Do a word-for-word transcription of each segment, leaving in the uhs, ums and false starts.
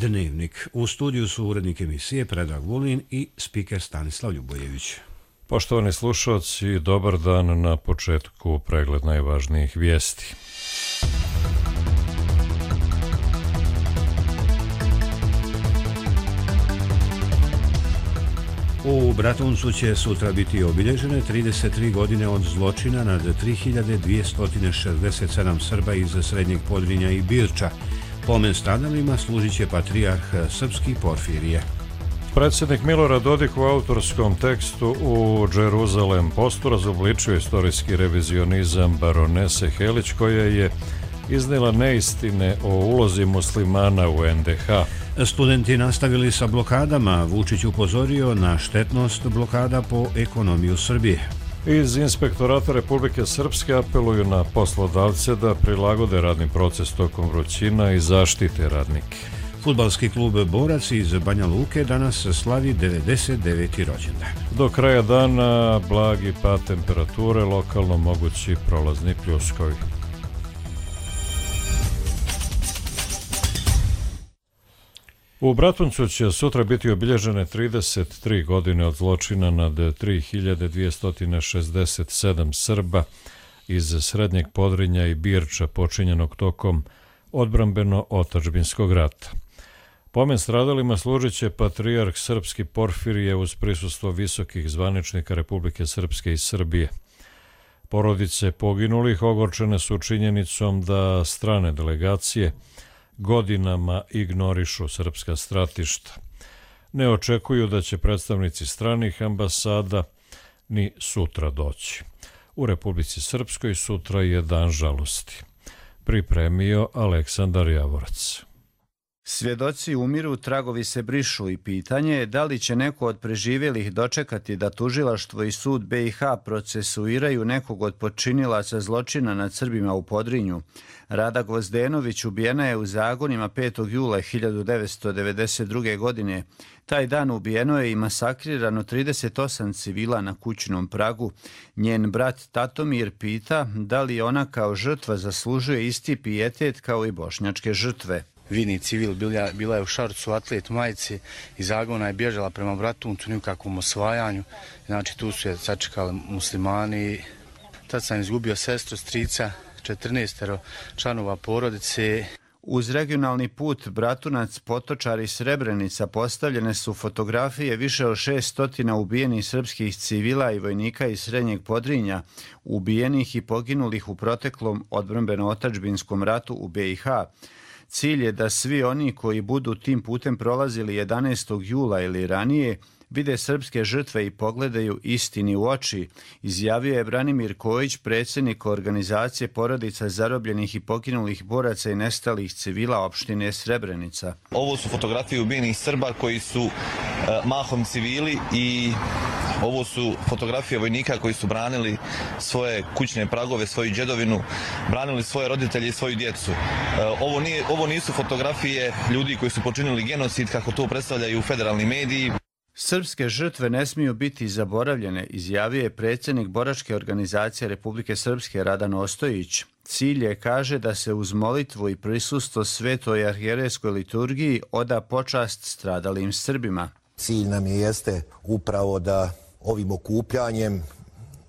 Dnevnik. U studiju su urednik emisije Predrag Vulin i spiker Stanislav Ljubojević. Poštovani slušalci, dobar dan. Na početku pregled najvažnijih vijesti. U Bratuncu će sutra biti obilježene trideset tri godine od zločina nad tri hiljade dvjesto šezdeset sedam Srba iz Srednjeg Podrinja i Birča. Pomen stradalima služit će patrijarh srpski Porfirije. Predsjednik Milorad Dodik u autorskom tekstu u Jeruzalem Postu razobličio istorijski revizionizam baronese Helić, koja je iznijela neistine o ulozi muslimana u en de ha. Studenti nastavili sa blokadama. Vučić upozorio na štetnost blokada po ekonomiju Srbije. Iz Inspektorata Republike Srpske apeluju na poslodavce da prilagode radni proces tokom vrućina i zaštite radnike. Fudbalski klub Borac iz Banja Luke danas slavi devedeset deveti rođendan. Do kraja dana blagi pad temperature, lokalno mogući prolazni pljuskovi. U Bratuncu će sutra biti obilježene trideset tri godine od zločina nad tri hiljade dvjesto šezdeset sedam Srba iz Srednjeg Podrinja i Birča, počinjenog tokom odbrambeno-otadžbinskog rata. Pomen stradalima služit će patrijarh srpski Porfirije uz prisustvo visokih zvaničnika Republike Srpske i Srbije. Porodice poginulih ogorčene su činjenicom da strane delegacije godinama ignorišu srpska stratišta. Ne očekuju da će predstavnici stranih ambasada ni sutra doći. U Republici Srpskoj sutra je dan žalosti. Pripremio Aleksandar Javorac. Svjedoci umiru, tragovi se brišu i pitanje je da li će neko od preživjelih dočekati da tužilaštvo i sud be i ha procesuiraju nekog od počinilaca zločina nad Srbima u Podrinju. Rada Gvozdenović ubijena je u Zagonima petog jula hiljadu devetsto devedeset druge. godine. Taj dan ubijeno je i masakrirano trideset osam civila na kućnom pragu. Njen brat Tatomir pita da li ona kao žrtva zaslužuje isti pijetet kao i bošnjačke žrtve. Vini civil bila, bila je u šarcu, atlet majici, iz Zagona je bježala prema Bratuncu, nikakvom osvajanju. Znači tu su je sačekali muslimani. Tad sam izgubio sestru, strica, četrnaestero članova porodice. Uz regionalni put Bratunac, Potočar i Srebrenica postavljene su fotografije više od šeststotina ubijenih srpskih civila i vojnika iz Srednjeg Podrinja, ubijenih i poginulih u proteklom odbrambeno-otadžbinskom ratu u be i ha. Cilj je da svi oni koji budu tim putem prolazili jedanaestog jula ili ranije vide srpske žrtve i pogledaju istini u oči, izjavio je Branimir Kojić, predsjednik organizacije porodica zarobljenih i poginulih boraca i nestalih civila opštine Srebrenica. Ovo su fotografije ubijenih Srba koji su uh, mahom civili i ovo su fotografije vojnika koji su branili svoje kućne pragove, svoju djedovinu, branili svoje roditelje i svoju djecu. Ovo, nije, ovo nisu fotografije ljudi koji su počinili genocid, kako to predstavljaju federalni mediji. Srpske žrtve ne smiju biti zaboravljene, izjavio je predsjednik Boračke organizacije Republike Srpske Radan Ostojić. Cilj je, kaže, da se uz molitvu i prisustvo svetoj arhijerejskoj liturgiji oda počast stradalim Srbima. Cilj nam je jeste upravo da ovim okupljanjem,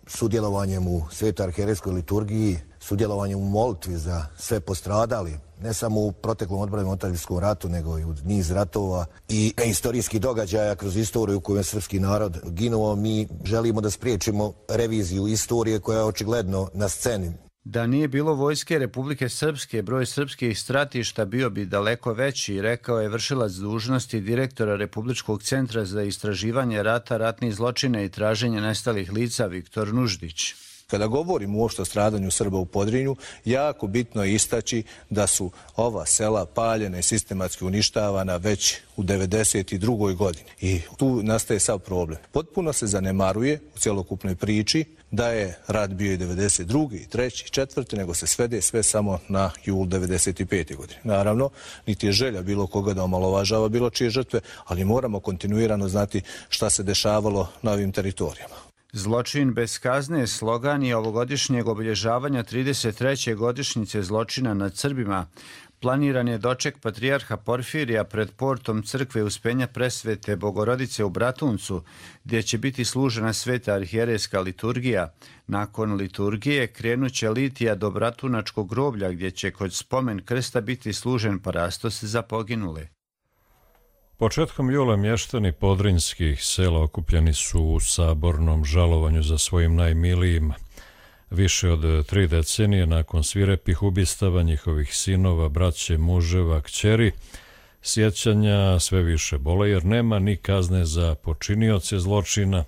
sudjelovanjem u svetoj arhijerejskoj liturgiji, sudjelovanjem u molitvi za sve postradali, ne samo u proteklom odbrambeno-otadžbinskom ratu, nego i u niz ratova i historijskih događaja kroz istoriju u kojoj je srpski narod ginuo, mi želimo da spriječimo reviziju istorije koja je očigledno na sceni. Da nije bilo vojske Republike Srpske, broj srpskih stratišta bio bi daleko veći, rekao je vršilac dužnosti direktora Republičkog centra za istraživanje rata, ratnih zločina i traženje nestalih lica Viktor Nuždić. Kada govorimo uopšte o stradanju Srba u Podrinju, jako bitno je istaći da su ova sela paljena i sistematski uništavana već u devedeset drugoj. godini. I tu nastaje sav problem. Potpuno se zanemaruje u cjelokupnoj priči da je rat bio i devedeset druge. i treće. i četvrte. nego se svede sve samo na jul devedeset pete. godine. Naravno, niti je želja bilo koga da omalovažava bilo čije žrtve, ali moramo kontinuirano znati šta se dešavalo na ovim teritorijama. Zločin bez kazne slogan je ovogodišnjeg obilježavanja trideset treće godišnjice zločina nad Srbima. Planiran je doček patrijarha Porfirija pred portom crkve Uspenja Presvete Bogorodice u Bratuncu, gdje će biti služena sveta arhijerejska liturgija. Nakon liturgije krenut će litija do Bratunačkog groblja, gdje će kod spomen krsta biti služen parastos za poginule. Početkom jula mještani podrinjskih sela okupljeni su u sabornom žalovanju za svojim najmilijima. Više od tri decenije nakon svirepih ubistava njihovih sinova, braće, muževa, kćeri, sjećanja sve više bole jer nema ni kazne za počinioce zločina,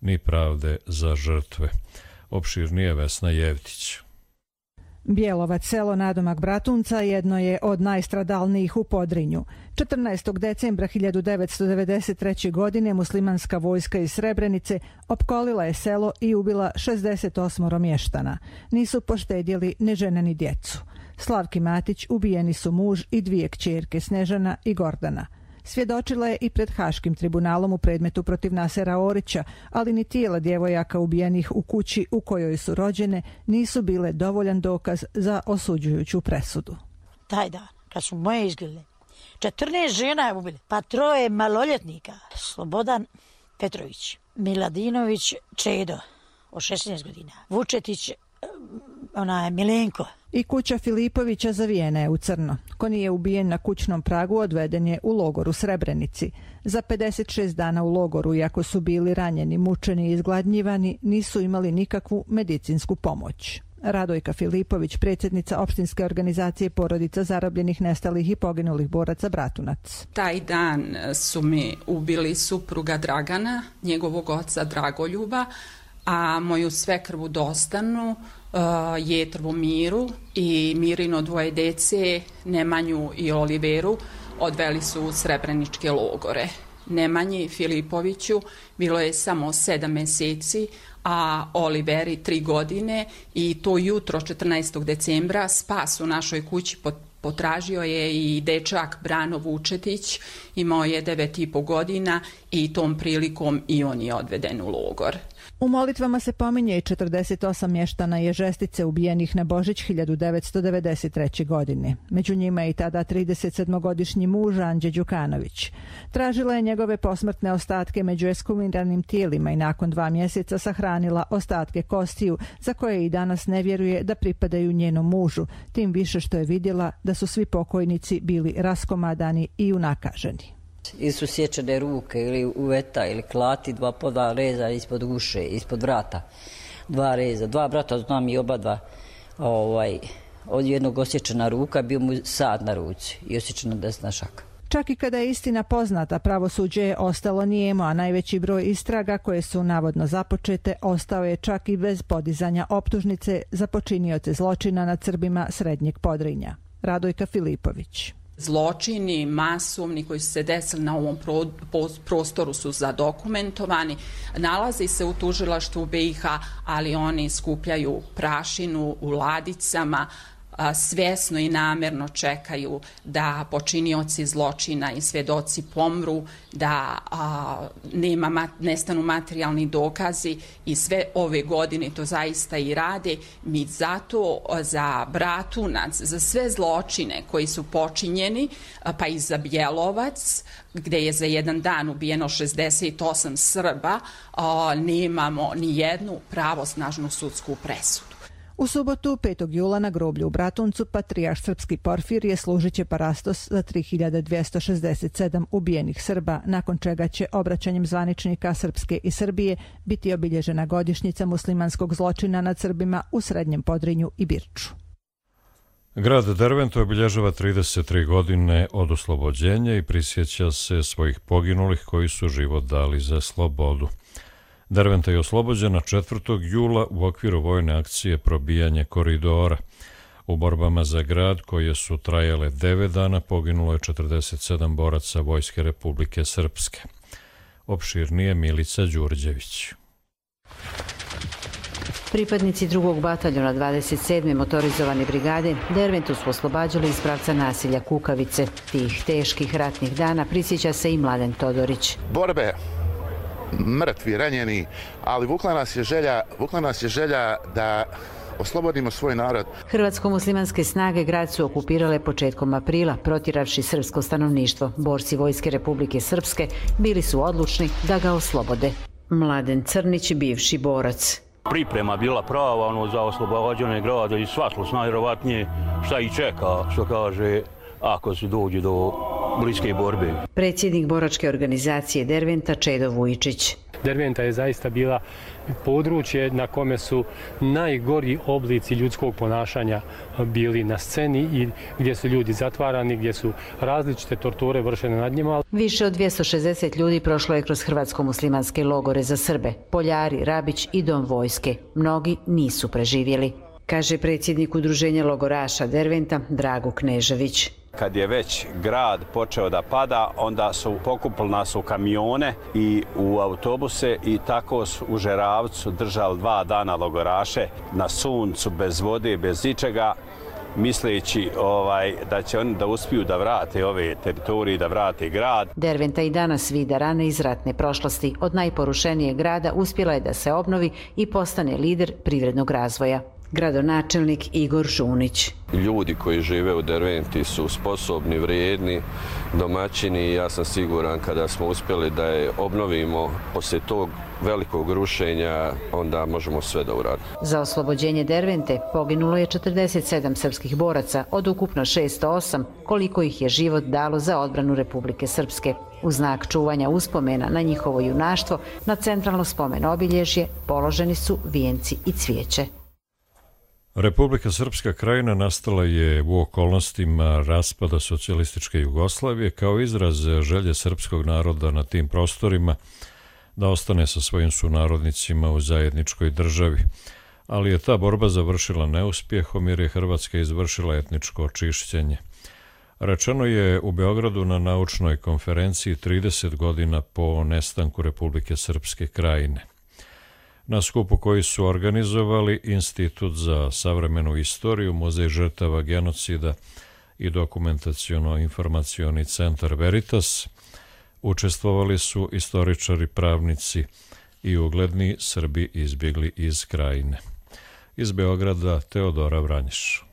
ni pravde za žrtve. Opširnije Vesna Jevtić. Bjelovac, selo nadomak Bratunca, jedno je od najstradalnijih u Podrinju. četrnaestog decembra hiljadu devetsto devedeset treće. godine muslimanska vojska iz Srebrenice opkolila je selo i ubila šezdeset osam mještana. Nisu poštedjeli ni žene ni djecu. Slavki Matić ubijeni su muž i dvije kćerke Snežana i Gordana. Svjedočila je i pred Haškim tribunalom u predmetu protiv Nasera Orića, ali ni tijela djevojaka ubijenih u kući u kojoj su rođene nisu bile dovoljan dokaz za osuđujuću presudu. Taj dan, kad su moje izgledale, četrnaest žena je ubili, pa troje maloljetnika. Slobodan Petrović, Miladinović Čedo, od šesnaest godina, Vučetić, ona je Milenko. I kuća Filipovića zavijena je u crno. Ko nije ubijen na kućnom pragu odveden je u logor u Srebrenici. Za pedeset šest dana u logoru, iako su bili ranjeni, mučeni i izgladnjivani, nisu imali nikakvu medicinsku pomoć. Radojka Filipović, predsjednica opštinske organizacije porodica zarobljenih, nestalih i poginulih boraca Bratunac. Taj dan su mi ubili supruga Dragana, njegovog oca Dragoljuba, a moju svekrvu Dostanu, uh, Jetrvu Miru i Mirino dvoje dece, Nemanju i Oliveru, odveli su u srebreničke logore. Nemanji Filipoviću bilo je samo sedam mjeseci, a Oliveri tri godine i to jutro četrnaestog decembra spas u našoj kući potražio je i dečak Brano Vučetić, imao je devet i po godina i tom prilikom i on je odveden u logor. U molitvama se pominje i četrdeset osam mještana Ježestice ubijenih na Božić hiljadu devetsto devedeset treće. godine. Među njima je i tada trideset sedmogodišnji muž Anđe Đukanović. Tražila je njegove posmrtne ostatke među ekshumiranim tijelima i nakon dva mjeseca sahranila ostatke kostiju za koje i danas ne vjeruje da pripadaju njenom mužu, tim više što je vidjela da su svi pokojnici bili raskomadani i unakaženi. Ili su sječene ruke, ili uveta, ili klati, dva po dva reza ispod guše, ispod vrata. Dva reza, dva brata, znam i oba dva. Ovaj, od jednog osječena ruka, bio mu sad na ruci i osječena desna šaka. Čak i kada je istina poznata, pravosuđe je ostalo nijemo, a najveći broj istraga koje su navodno započete ostao je čak i bez podizanja optužnice za počinioce zločina nad Srbima Srednjeg Podrinja. Radojka Filipović. Zločini masovni koji su se desili na ovom prostoru su zadokumentovani. Nalazi se u tužilaštvu B i H, ali oni skupljaju prašinu u ladicama, svjesno i namjerno čekaju da počinioci zločina i svjedoci pomru, da a, nema, nestanu materijalni dokazi i sve ove godine to zaista i rade. Mi zato za Bratunac, za sve zločine koji su počinjeni, pa i za Bjelovac, gdje je za jedan dan ubijeno šezdeset osam Srba, a, nemamo ni jednu pravosnažnu sudsku presudu. U subotu, petog jula, na groblju u Bratuncu, patrijarh srpski Porfirije služit će parastos za tri hiljade dvjesto šezdeset sedam ubijenih Srba, nakon čega će obraćanjem zvaničnika Srpske i Srbije biti obilježena godišnjica muslimanskog zločina nad Srbima u Srednjem Podrinju i Birču. Grad Dervent obilježava trideset tri godine od oslobođenja i prisjeća se svojih poginulih koji su život dali za slobodu. Derventa je oslobođena četvrtog jula u okviru vojne akcije Probijanje koridora. U borbama za grad, koje su trajale devet dana, poginulo je četrdeset sedam boraca Vojske Republike Srpske. Opširnije Milica Đurđević. Pripadnici drugog bataljona dvadeset sedme motorizovane brigade Derventu su oslobađali iz pravca nasilja Kukavice. Tih teških ratnih dana prisjeća se i Mladen Todorić. Borbe, mrtvi, ranjeni, ali vukla nas je želja, vukla nas je želja da oslobodimo svoj narod. Hrvatsko-muslimanske snage grad su okupirale početkom aprila, protiravši srpsko stanovništvo. Borci Vojske Republike Srpske bili su odlučni da ga oslobode. Mladen Crnić, bivši borac. Priprema bila prava ono, za oslobađanje grada i svatlo najvjerovatnije šta ih čeka, što kaže, ako se dođe do bliske borbe. Predsjednik boračke organizacije Derventa Čedo Vujičić. Derventa je zaista bila područje na kome su najgori oblici ljudskog ponašanja bili na sceni i gdje su ljudi zatvarani, gdje su različite torture vršene nad njima. Više od dvjesto šezdeset ljudi prošlo je kroz hrvatsko-muslimanske logore za Srbe, Poljari, Rabić i Dom vojske. Mnogi nisu preživjeli, kaže predsjednik udruženja logoraša Derventa Drago Knežević. Kad je već grad počeo da pada, onda su pokupili nas u kamione i u autobuse i tako su u Žeravcu držali dva dana logoraše na suncu, bez vode, bez ičega, misleći ovaj, da će oni da uspiju da vrate ove teritorije, da vrate grad. Derventa i danas vida rane iz ratne prošlosti. Od najporušenijeg grada uspjela je da se obnovi i postane lider privrednog razvoja. Gradonačelnik Igor Žunić. Ljudi koji žive u Derventi su sposobni, vrijedni, domaćini i ja sam siguran kada smo uspjeli da je obnovimo poslije tog velikog rušenja, onda možemo sve da uradimo. Za oslobođenje Dervente poginulo je četrdeset sedam srpskih boraca od ukupno šesto osam, koliko ih je život dalo za odbranu Republike Srpske. U znak čuvanja uspomena na njihovo junaštvo na centralno spomen obilježje položeni su vijenci i cvijeće. Republika Srpska krajina nastala je u okolnostima raspada socijalističke Jugoslavije kao izraz želje srpskog naroda na tim prostorima da ostane sa svojim sunarodnicima u zajedničkoj državi. Ali je ta borba završila neuspjehom jer je Hrvatska izvršila etničko očišćenje. Rečeno je u Beogradu na naučnoj konferenciji trideset godina po nestanku Republike Srpske krajine. Na skupu koji su organizovali Institut za savremenu istoriju, Muzej žrtava genocida i dokumentaciono-informacioni centar Veritas, učestvovali su istoričari, pravnici i ugledni Srbi izbjegli iz krajine. Iz Beograda Teodora Vranješ.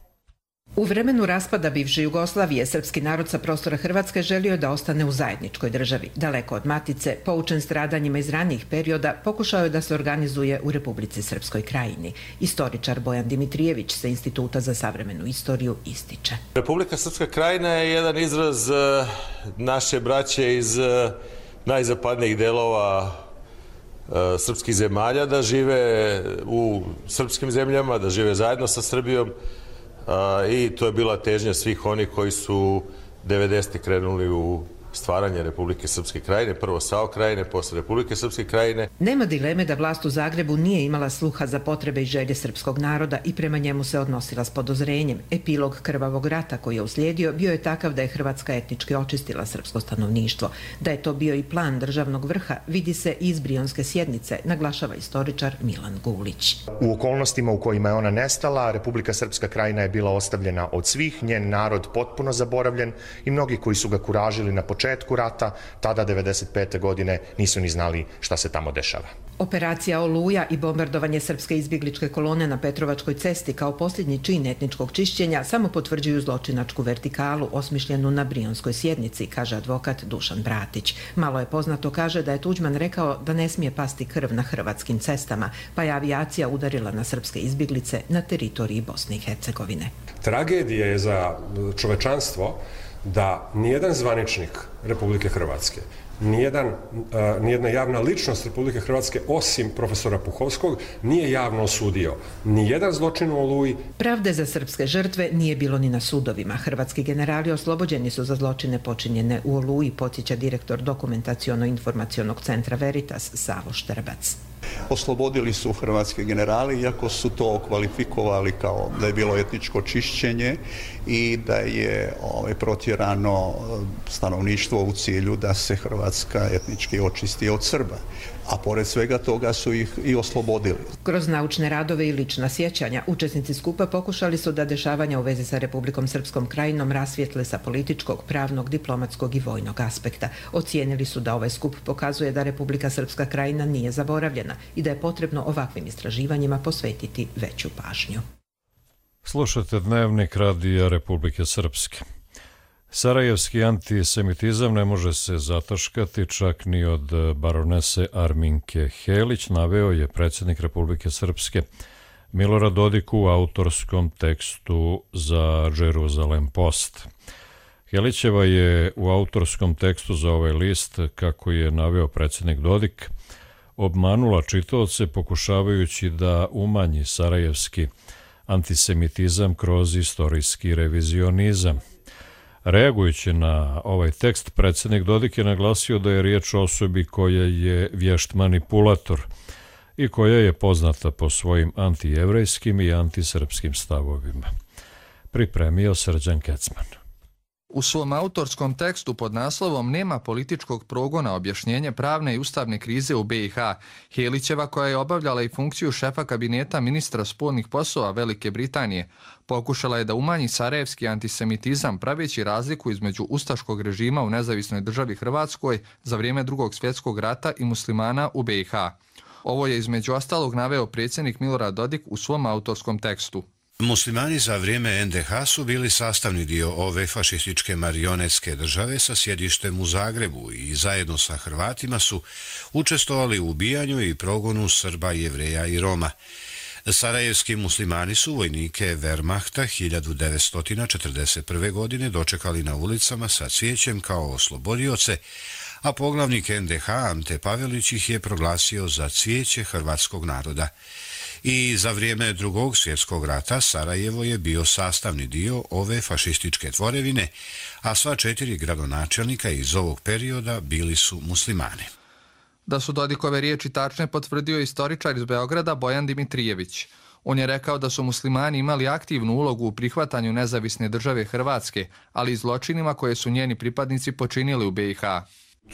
U vremenu raspada bivše Jugoslavije, srpski narod sa prostora Hrvatske želio da ostane u zajedničkoj državi. Daleko od matice, poučen stradanjima iz ranijih perioda, pokušao je da se organizuje u Republici Srpskoj krajini. Istoričar Bojan Dimitrijević sa Instituta za savremenu istoriju ističe. Republika Srpska krajina je jedan izraz naše braće iz najzapadnijih delova srpskih zemalja, da žive u srpskim zemljama, da žive zajedno sa Srbijom. I to je bila težnja svih onih koji su devedesetih krenuli u stvaranje Republike Srpske krajine, prvo SAO krajine, posle Republike Srpske krajine. Nema dileme da vlast u Zagrebu nije imala sluha za potrebe i želje srpskog naroda i prema njemu se odnosila s podozrenjem. Epilog krvavog rata koji je uslijedio bio je takav da je Hrvatska etnički očistila srpsko stanovništvo. Da je to bio i plan državnog vrha vidi se iz Brionske sjednice, naglašava istoričar Milan Gulić. U okolnostima u kojima je ona nestala, Republika Srpska krajina je bila ostavljena od svih, njen narod potpuno zaboravljen i mnogi koji su ga kuražili na početku rata, tada devedeset pete godine nisu ni znali šta se tamo dešava. Operacija Oluja i bombardovanje srpske izbjegličke kolone na Petrovačkoj cesti kao posljednji čin etničkog čišćenja samo potvrđuju zločinačku vertikalu osmišljenu na Brionskoj sjednici, kaže advokat Dušan Bratić. Malo je poznato, kaže, da je Tuđman rekao da ne smije pasti krv na hrvatskim cestama, pa je avijacija udarila na srpske izbjeglice na teritoriji Bosne i Hercegovine. Tragedija je za čovečanstvo da nijedan zvaničnik Republike Hrvatske, nijedan, uh, nijedna javna ličnost Republike Hrvatske, osim profesora Puhovskog, nije javno osudio nijedan zločin u Oluji. Pravde za srpske žrtve nije bilo ni na sudovima. Hrvatski generali oslobođeni su za zločine počinjene u Oluji, podsjeća direktor dokumentaciono-informacionog centra Veritas Savo Štrbac. Oslobodili su hrvatski generali, iako su to kvalifikovali kao da je bilo etničko čišćenje i da je ovaj, protjerano stanovništvo u cilju da se Hrvatska etnički očisti od Srba. A pored svega toga su ih i oslobodili. Kroz naučne radove i lična sjećanja, učesnici skupa pokušali su da dešavanja u vezi sa Republikom Srpskom krajinom rasvijetle sa političkog, pravnog, diplomatskog i vojnog aspekta. Ocijenili su da ovaj skup pokazuje da Republika Srpska krajina nije zaboravljena i da je potrebno ovakvim istraživanjima posvetiti veću pažnju. Slušate Dnevnik Radija Republike Srpske. Sarajevski antisemitizam ne može se zataškati čak ni od baronese Arminke Helić, naveo je predsjednik Republike Srpske Milorad Dodik u autorskom tekstu za Jerusalem Post. Helićeva je u autorskom tekstu za ovaj list, kako je naveo predsjednik Dodik, obmanula čitaoce pokušavajući da umanji sarajevski antisemitizam kroz istorijski revizionizam. Reagujući na ovaj tekst, predsjednik Dodik je naglasio da je riječ o osobi koja je vješt manipulator i koja je poznata po svojim antijevrejskim i antisrpskim stavovima. Pripremio Srđan Kecman. U svom autorskom tekstu pod naslovom Nema političkog progona, objašnjenje pravne i ustavne krize u be i ha, Helićeva, koja je obavljala i funkciju šefa kabineta ministra spoljnih poslova Velike Britanije, pokušala je da umanji sarajevski antisemitizam praveći razliku između ustaškog režima u nezavisnoj državi Hrvatskoj za vrijeme Drugog svjetskog rata i muslimana u be i ha. Ovo je između ostalog naveo predsjednik Milorad Dodik u svom autorskom tekstu. Muslimani za vrijeme en de ha su bili sastavni dio ove fašističke marionetske države sa sjedištem u Zagrebu i zajedno sa Hrvatima su učestvovali u ubijanju i progonu Srba, Jevreja i Roma. Sarajevski muslimani su vojnike Wehrmachta hiljadu devetsto četrdeset prve. godine dočekali na ulicama sa cvijećem kao oslobodioce, a poglavnik en de ha Ante Pavelić ih je proglasio za cvijeće hrvatskog naroda. I za vrijeme Drugog svjetskog rata Sarajevo je bio sastavni dio ove fašističke tvorevine, a sva četiri gradonačelnika iz ovog perioda bili su muslimani. Da su Dodikove riječi tačne potvrdio istoričar iz Beograda Bojan Dimitrijević. On je rekao da su muslimani imali aktivnu ulogu u prihvatanju nezavisne države Hrvatske, ali i zločinima koje su njeni pripadnici počinili u be i ha.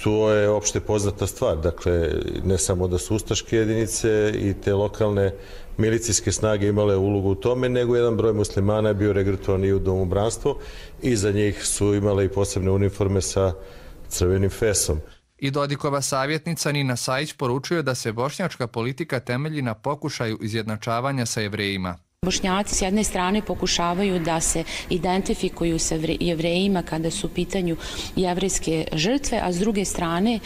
To je opšte poznata stvar, dakle ne samo da su ustaške jedinice i te lokalne milicijske snage imale ulogu u tome, nego jedan broj muslimana je bio regrutovan i u domobranstvo i za njih su imale i posebne uniforme sa crvenim fesom. I Dodikova savjetnica Nina Sajić poručuje da se bošnjačka politika temelji na pokušaju izjednačavanja sa Jevrejima. Bošnjaci s jedne strane pokušavaju da se identifikuju sa Jevrejima kada su u pitanju jevrejske žrtve, a s druge strane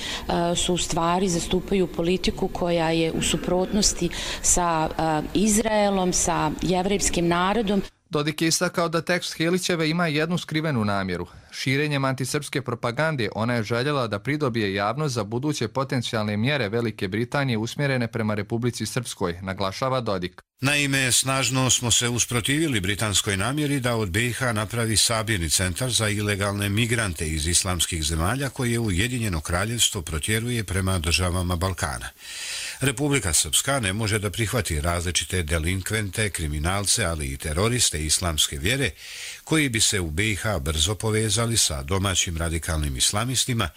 su u stvari zastupaju politiku koja je u suprotnosti sa Izraelom, sa jevrejskim narodom. Dodik je istakao da tekst Helićeve ima jednu skrivenu namjeru. Širenjem antisrpske propagande ona je željela da pridobije javnost za buduće potencijalne mjere Velike Britanije usmjerene prema Republici Srpskoj, naglašava Dodik. Naime, snažno smo se usprotivili britanskoj namjeri da od be i ha napravi sabirni centar za ilegalne migrante iz islamskih zemalja koje Ujedinjeno kraljevstvo protjeruje prema državama Balkana. Republika Srpska ne može da prihvati različite delinkvente, kriminalce, ali i teroriste islamske vjere koji bi se u be i ha brzo povezali sa domaćim radikalnim islamistima,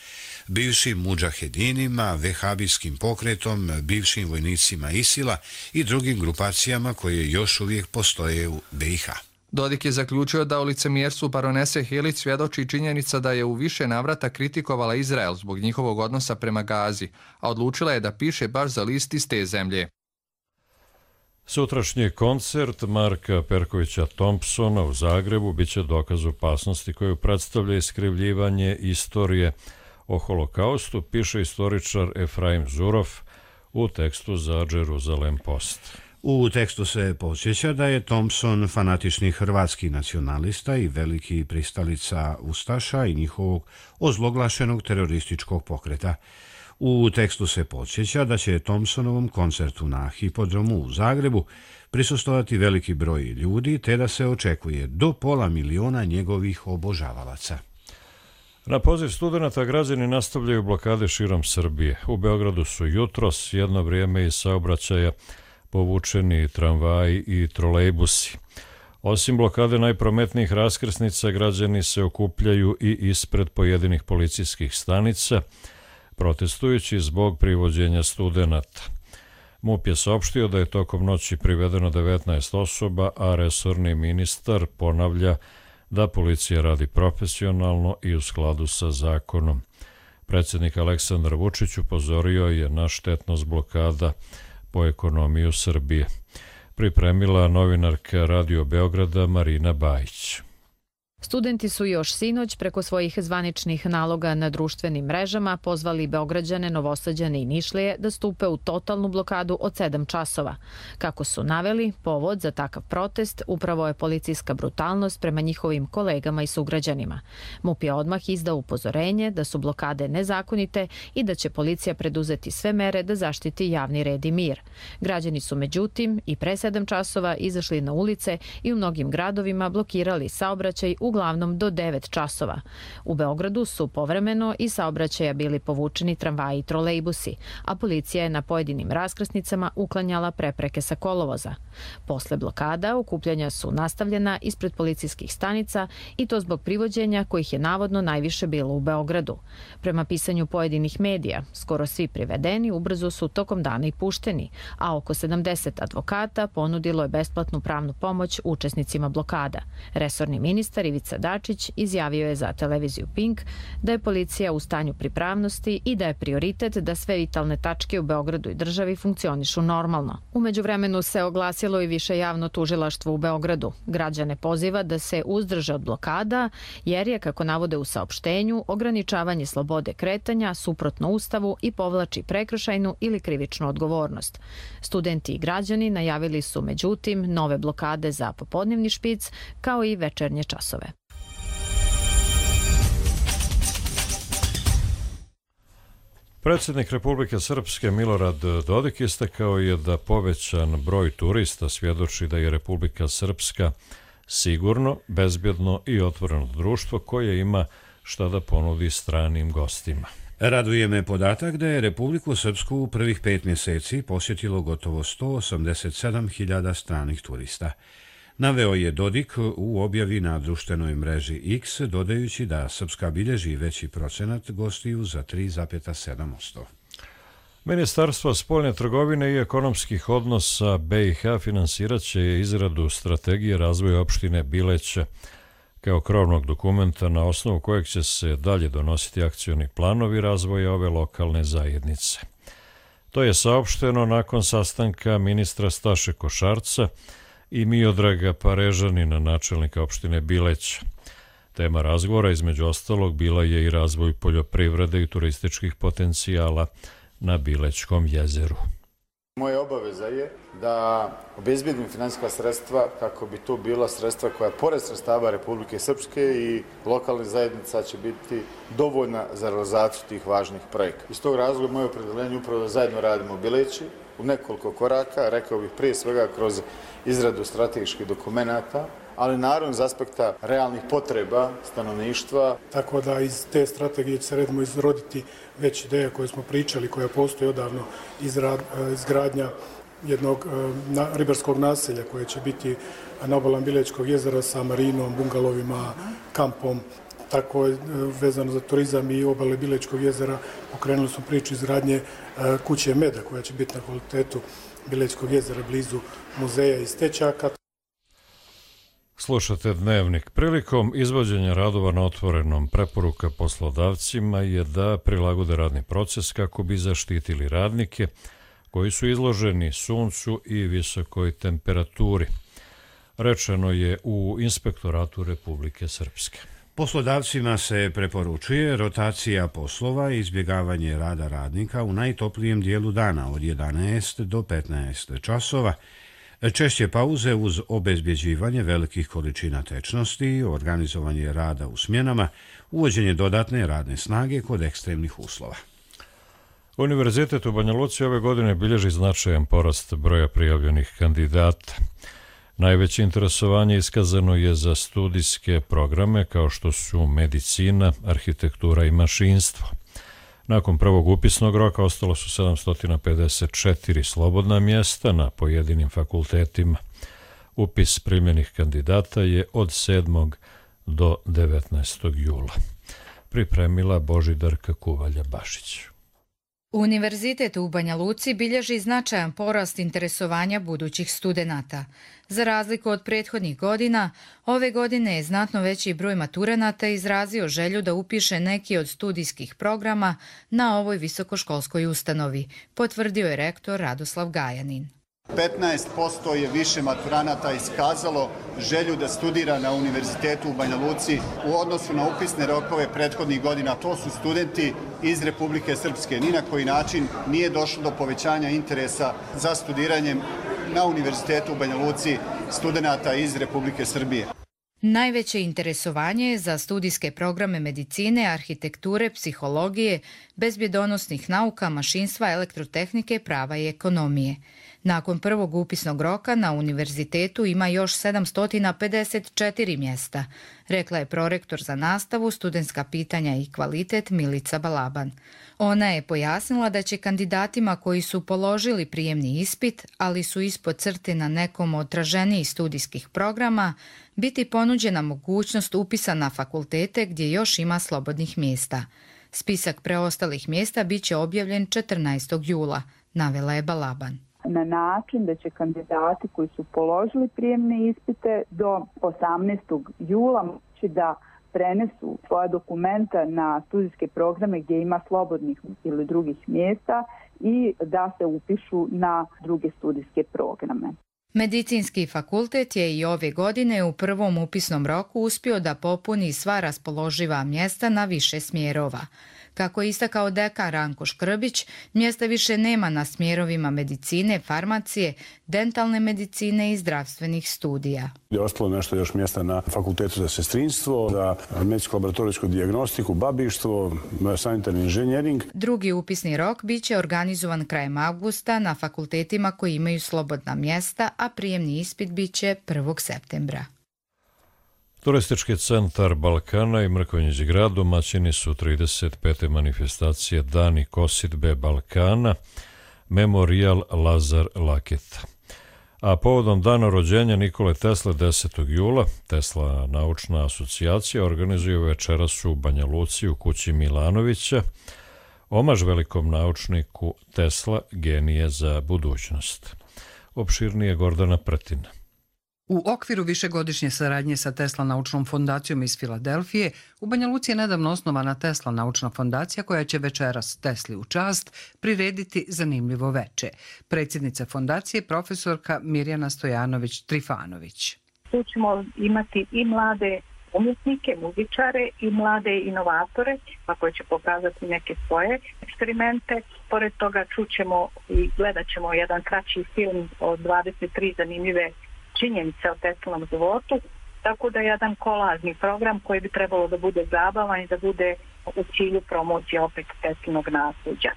bivšim mudžahedinima, vehabijskim pokretom, bivšim vojnicima Isila i drugim grupacijama koje još uvijek postoje u be i ha. Dodik je zaključio da u licemjerstvu baronese Helić svjedoči činjenica da je u više navrata kritikovala Izrael zbog njihovog odnosa prema Gazi, a odlučila je da piše baš za list iz te zemlje. Sutrašnji koncert Marka Perkovića Thompsona u Zagrebu biće dokaz opasnosti koju predstavlja iskrivljivanje istorije o holokaustu, piše istoričar Efraim Zurov u tekstu za Jerusalem Post. U tekstu se podsjeća da je Thompson fanatični hrvatski nacionalista i veliki pristalica ustaša i njihovog ozloglašenog terorističkog pokreta. U tekstu se podsjeća da će Thompsonovom koncertu na Hipodromu u Zagrebu prisustovati veliki broj ljudi, te da se očekuje do pola miliona njegovih obožavalaca. Na poziv studenata građani nastavljaju blokade širom Srbije. U Beogradu su jutros jedno vrijeme iz saobraćaja povučeni tramvaji i trolejbusi. Osim blokade najprometnijih raskrsnica, građani se okupljaju i ispred pojedinih policijskih stanica, protestujući zbog privođenja studenata. MUP je saopštio da je tokom noći privedeno devetnaest osoba, a resorni ministar ponavlja da policija radi profesionalno i u skladu sa zakonom. Predsjednik Aleksandar Vučić upozorio je na štetnost blokada po ekonomiju Srbije. Pripremila novinarka Radio Beograda Marina Bajić. Studenti su još sinoć preko svojih zvaničnih naloga na društvenim mrežama pozvali Beograđane, Novosađane i Nišlije da stupe u totalnu blokadu od sedam časova. Kako su naveli, povod za takav protest upravo je policijska brutalnost prema njihovim kolegama i sugrađanima. MUP je odmah izdao upozorenje da su blokade nezakonite i da će policija preduzeti sve mere da zaštiti javni red i mir. Građani su međutim i pre sedam časova izašli na ulice i u mnogim gradovima blokirali saobraćaj u uglavnom do devet časova. U Beogradu su povremeno i saobraćaja bili povučeni tramvaji i trolejbusi, a policija je na pojedinim raskrsnicama uklanjala prepreke sa kolovoza. Posle blokada okupljanja su nastavljena ispred policijskih stanica i to zbog privođenja kojih je navodno najviše bilo u Beogradu. Prema pisanju pojedinih medija, skoro svi privedeni ubrzo su tokom dana i pušteni, a oko sedamdeset advokata ponudilo je besplatnu pravnu pomoć učesnicima blokada. Resorni ministar Ivica Dačić izjavio je za televiziju Pink da je policija u stanju pripravnosti i da je prioritet da sve vitalne tačke u Beogradu i državi funkcionišu normalno. U međuvremenu se oglasilo i više javno tužilaštvo u Beogradu. Građane poziva da se uzdrže od blokada jer je, kako navode u saopštenju, ograničavanje slobode kretanja suprotno Ustavu i povlači prekršajnu ili krivičnu odgovornost. Studenti i građani najavili su međutim nove blokade za popodnevni špic kao i večernje časove. Predsjednik Republike Srpske Milorad Dodik istakao je da povećan broj turista svjedoči da je Republika Srpska sigurno, bezbjedno i otvoreno društvo koje ima šta da ponudi stranim gostima. Raduje me podatak da je Republiku Srpsku u prvih pet mjeseci posjetilo gotovo sto osamdeset sedam hiljada stranih turista. Naveo je Dodik u objavi na društvenoj mreži X, dodajući da Srpska bilježi veći procenat gostiju za tri zarez sedam posto. Ministarstvo spoljne trgovine i ekonomskih odnosa B i H finansirat će izradu strategije razvoja opštine Bileće kao krovnog dokumenta na osnovu kojeg će se dalje donositi akcioni planovi razvoja ove lokalne zajednice. To je saopšteno nakon sastanka ministra Staše Košarca i Miodraga Parežanina, načelnika opštine Bileća. Tema razgovora između ostalog bila je i razvoj poljoprivrede i turističkih potencijala na Bilećkom jezeru. Moja obaveza je da obezbedim finansijska sredstva kako bi to bila sredstva koja pored sredstava Republike Srpske i lokalnih zajednica će biti dovoljna za realizaciju tih važnih projekata. Iz tog razloga moje opredeljenje upravo da zajedno radimo u Bileći u nekoliko koraka, rekao bih prije svega kroz izradu strateških dokumenata, ali naravno iz aspekta realnih potreba stanovništva. Tako da iz te strategije će se redimo izroditi već ideja koje smo pričali, koja postoji odavno, izgradnja jednog ribarskog naselja koje će biti na obalama Bilećkog jezera sa marinom, bungalovima, kampom. Tako je vezano za turizam i obale Bilećkog jezera. Pokrenuli smo priču izgradnje kuće meda koja će biti na kvalitetu Bilećkog jezera blizu muzeja i stečaka. Slušate Dnevnik. Prilikom izvođenja radova na otvorenom preporuka poslodavcima je da prilagode radni proces kako bi zaštitili radnike koji su izloženi suncu i visokoj temperaturi. Rečeno je u Inspektoratu Republike Srpske. Poslodavcima se preporučuje rotacija poslova i izbjegavanje rada radnika u najtoplijem dijelu dana od jedanaest do petnaest časova, češće pauze uz obezbjeđivanje velikih količina tečnosti, organizovanje rada u smjenama, uvođenje dodatne radne snage kod ekstremnih uslova. Univerzitet u Banja Luci ove godine bilježi značajan porast broja prijavljenih kandidata. Najveće interesovanje iskazano je za studijske programe kao što su medicina, arhitektura i mašinstvo. Nakon prvog upisnog roka ostalo su sedamsto pedeset četiri slobodna mjesta na pojedinim fakultetima. Upis primljenih kandidata je od sedmog do devetnaestog jula. Pripremila Božidarka Kuvalja-Bašić. Univerzitet u Banja Luci bilježi značajan porast interesovanja budućih studenata. Za razliku od prethodnih godina, ove godine je znatno veći broj maturanata izrazio želju da upiše neki od studijskih programa na ovoj visokoškolskoj ustanovi, potvrdio je rektor Radoslav Gajanin. petnaest posto je više maturanata iskazalo želju da studira na Univerzitetu u Banja Luci u odnosu na upisne rokove prethodnih godina. To su studenti iz Republike Srpske. Ni na koji način nije došlo do povećanja interesa za studiranjem na Univerzitetu u Banja Luci studenata iz Republike Srbije. Najveće interesovanje je za studijske programe medicine, arhitekture, psihologije, bezbjedonosnih nauka, mašinstva, elektrotehnike, prava i ekonomije. Nakon prvog upisnog roka na univerzitetu ima još sedamsto pedeset četiri mjesta, rekla je prorektor za nastavu, studentska pitanja i kvalitet Milica Balaban. Ona je pojasnila da će kandidatima koji su položili prijemni ispit, ali su ispod crte na nekom od traženijih studijskih programa, biti ponuđena mogućnost upisa na fakultete gdje još ima slobodnih mjesta. Spisak preostalih mjesta bit će objavljen četrnaestog jula, navela je Balaban. Na način da će kandidati koji su položili prijemne ispite do osamnaestog jula moći da prenesu svoja dokumenta na studijske programe gdje ima slobodnih ili drugih mjesta i da se upišu na druge studijske programe. Medicinski fakultet je i ove godine u prvom upisnom roku uspio da popuni sva raspoloživa mjesta na više smjerova. Kako je istakao dekan Ranko Škrbić, mjesta više nema na smjerovima medicine, farmacije, dentalne medicine i zdravstvenih studija. Je ostalo nešto još mjesta na fakultetu za sestrinstvo, za medicinsko-laboratorijsku dijagnostiku, babištvo, sanitarni inženjering. Drugi upisni rok bit će organizovan krajem avgusta na fakultetima koji imaju slobodna mjesta, a prijemni ispit bit će prvog septembra. Turistički centar Balkana i Mrkonjić grad domaćini su trideset pete manifestacije Dani kosidbe Balkana, Memorijal Lazar Laketa. A povodom dana rođenja Nikole Tesle desetog jula, Tesla naučna asocijacija organizuje večeras u Banja Luci u kući Milanovića, omaž velikom naučniku Tesla, genije za budućnost. Opširnije Gordana Pretina. U okviru višegodišnje saradnje sa Tesla naučnom fondacijom iz Filadelfije, u Banja Luci je nedavno osnovana Tesla naučna fondacija koja će večeras Tesli u čast prirediti zanimljivo veče. Predsjednica fondacije profesorka Mirjana Stojanović-Trifanović. Tu ćemo imati i mlade umjetnike, muzičare i mlade inovatore, pa koji će pokazati neke svoje eksperimente. Pored toga čućemo i gledat ćemo jedan kraći film od dvadeset tri zanimljive činjenice o Teslanom životu, tako da je jedan kolažni program koji bi trebalo da bude zabavan i da bude u cilju promocije opet Teslanog nasljeđa.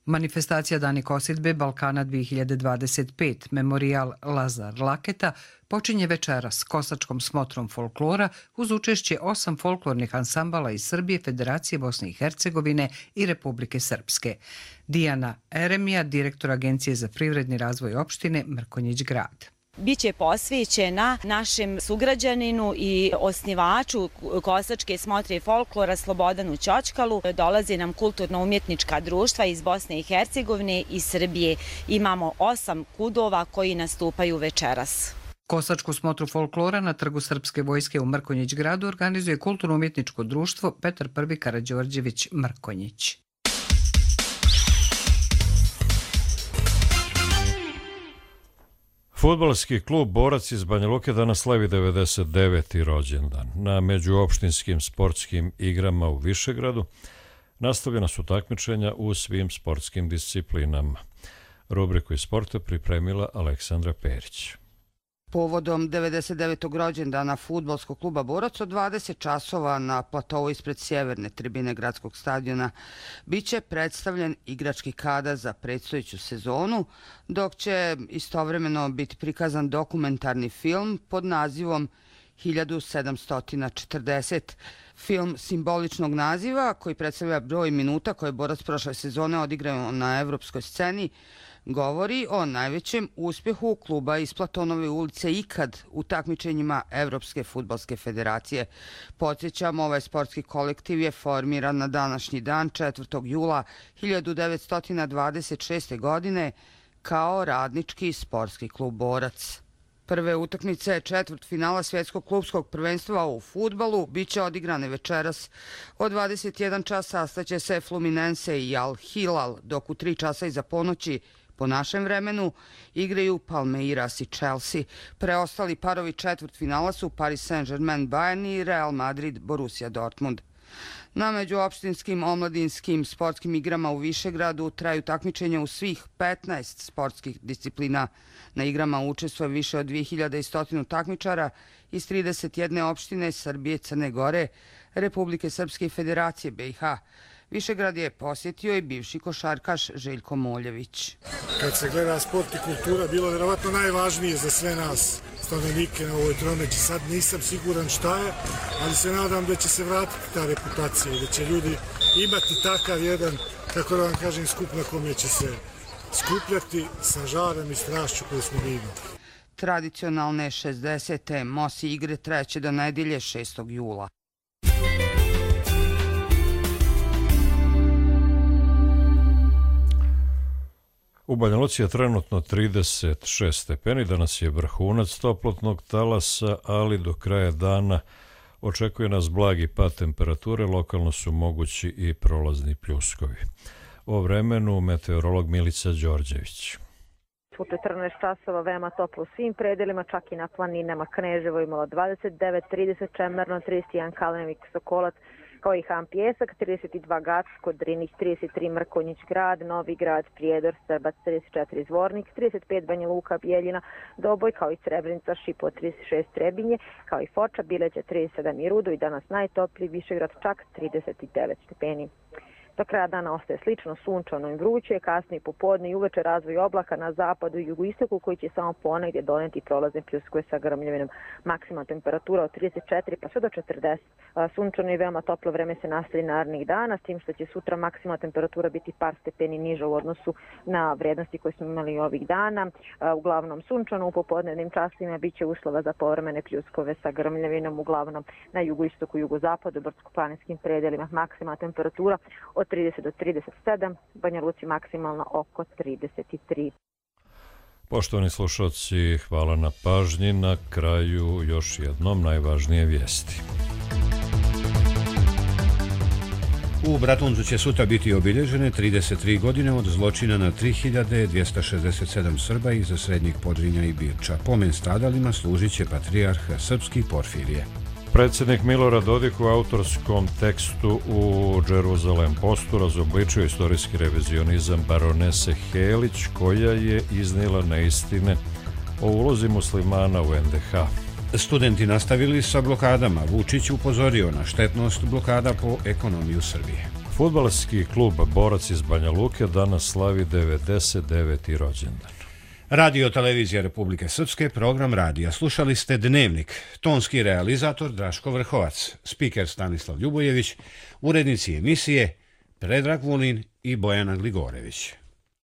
Manifestacija Dani kosidbe Balkana dvije hiljade dvadeset pet Memorijal Lazar Laketa počinje večeras kosačkom smotrom folklora uz učešće osam folklornih ansambala iz Srbije, Federacije Bosne i Hercegovine i Republike Srpske. Dijana Eremija, direktor Agencije za privredni razvoj opštine Mrkonjić grad. Biće posvećena našem sugrađaninu i osnivaču kosačke smotre i folklora Slobodanu Ćočkalu. Dolaze nam kulturno-umjetnička društva iz Bosne i Hercegovine i Srbije. Imamo osam kudova koji nastupaju večeras. Kosačku smotru folklora na Trgu Srpske vojske u Mrkonjić gradu organizuje kulturno-umjetničko društvo Petar Prvi Karađorđević Mrkonjić. Fudbalski klub Borac iz Banja Luke danas slavi devedeset deveti rođendan. Na međuopštinskim sportskim igrama u Višegradu nastavljena su takmičenja u svim sportskim disciplinama. Rubriku iz sporta pripremila Aleksandra Perić. Povodom devedeset devetog rođendana fudbalskog kluba Borac od dvadeset časova na platovu ispred sjeverne tribine gradskog stadiona biće predstavljen igrački kadar za predstojeću sezonu, dok će istovremeno biti prikazan dokumentarni film pod nazivom hiljadu sedamsto četrdeset. Film simboličnog naziva koji predstavlja broj minuta koje Borac prošle sezone odigrao na evropskoj sceni, govori o najvećem uspjehu kluba iz Platonove ulice ikad u takmičenjima Evropske fudbalske federacije. Podsjećam, ovaj sportski kolektiv je formiran na današnji dan četvrtog jula hiljadu devetsto dvadeset šeste. godine kao radnički sportski klub Borac. Prve utakmice četvrtfinala svjetskog klubskog prvenstva u fudbalu biće odigrane večeras. Od dvadeset jedan časa sastaće se Fluminense i Al Hilal, dok u tri časa iza ponoći po našem vremenu igraju Palmeiras i Chelsea. Preostali parovi četvrtfinala su Paris Saint-Germain Bayern i Real Madrid Borussia Dortmund. Na međuopštinskim omladinskim sportskim igrama u Višegradu traju takmičenja u svih petnaest sportskih disciplina. Na igrama učestvuje više od dvije hiljade sto takmičara iz trideset jedne opštine Srbije, Crne Gore, Republike Srpske i Federacije B i H. Višegrad je posjetio i bivši košarkaš Željko Moljević. Kad se gleda sport i kultura, bilo je vjerovatno najvažnije za sve nas stanovnike na ovoj Tromeći. Sad nisam siguran šta je, ali se nadam da će se vratiti ta reputacija i da će ljudi imati takav jedan, kako da vam kažem, skup na kome će se skupljati sa žarem i strašću koju smo vidjeli. Tradicionalne šezdesete Mosi igre trajeće do nedjelje šestog jula. U Banja Luci je trenutno trideset šest stepeni, danas je vrhunac toplotnog talasa, ali do kraja dana očekuje nas blagi pad temperature, lokalno su mogući i prolazni pljuskovi. O vremenu meteorolog Milica Đorđević. U četrnaest časova veoma toplo u svim predelima, čak i na planinama. Kneževo imalo dvadeset devet, trideset Čemerno, trideset jedan Kalemik, Sokolac, kao i Han Pjesak, trideset dva Gacko, Drinih, trideset tri Mrkonjić Grad, Novi Grad, Prijedor, Srbac, trideset četiri Zvornik, trideset pet Banja Luka, Bijeljina, Doboj, kao i Srebrenica, Šipo, trideset šest Trebinje, kao i Foča, Bileća, trideset sedam i Rudo i danas najtopliji Višegrad, čak trideset devet stepeni. Do kraja dana ostaje slično sunčano i vruće, kasnije popodne i uveče razvoj oblaka na zapadu i jugoistoku koji će samo ponegdje doneti prolazne pljuskove sa grmljavinom. Maksimalna temperatura od trideset četiri pa sve do četrdeset. Sunčano i veoma toplo vreme se nastavi narednih dana, s tim što će sutra maksimalna temperatura biti par stepeni niža u odnosu na vrednosti koje smo imali ovih dana. Uglavnom sunčano, u popodnevnim časima biće uslova za povremene pljuskove sa grmljavinom, uglavnom na jugoistoku i jugozapadu, brdsko-planinskim predelima. Maksimalna temperatura od trideset do trideset sedam, Banja Luci maksimalno oko trideset tri. Poštovani slušalci, hvala na pažnji. Na kraju još jednom najvažnije vijesti. U Bratuncu će sutra biti obilježene trideset tri godine od zločina na tri hiljade dvjesto šezdeset sedam Srba iz Srednjeg Podrinja i Birča. Pomen stradalima služit će patrijarh srpski Porfirije. Predsjednik Milorad Dodik u autorskom tekstu u Jerusalem Postu razobličio istorijski revizionizam baronese Helić, koja je iznijela neistine o ulozi muslimana u en de ha. Studenti nastavili sa blokadama. Vučić upozorio na štetnost blokada po ekonomiju Srbije. Fudbalski klub Borac iz Banja Luke danas slavi devedeset deveti rođendan. Radio Televizija Republike Srpske, program radija. Slušali ste Dnevnik. Tonski realizator Draško Vrhovac, spiker Stanislav Ljubojević, urednici emisije Predrag Vulin i Bojana Gligorević.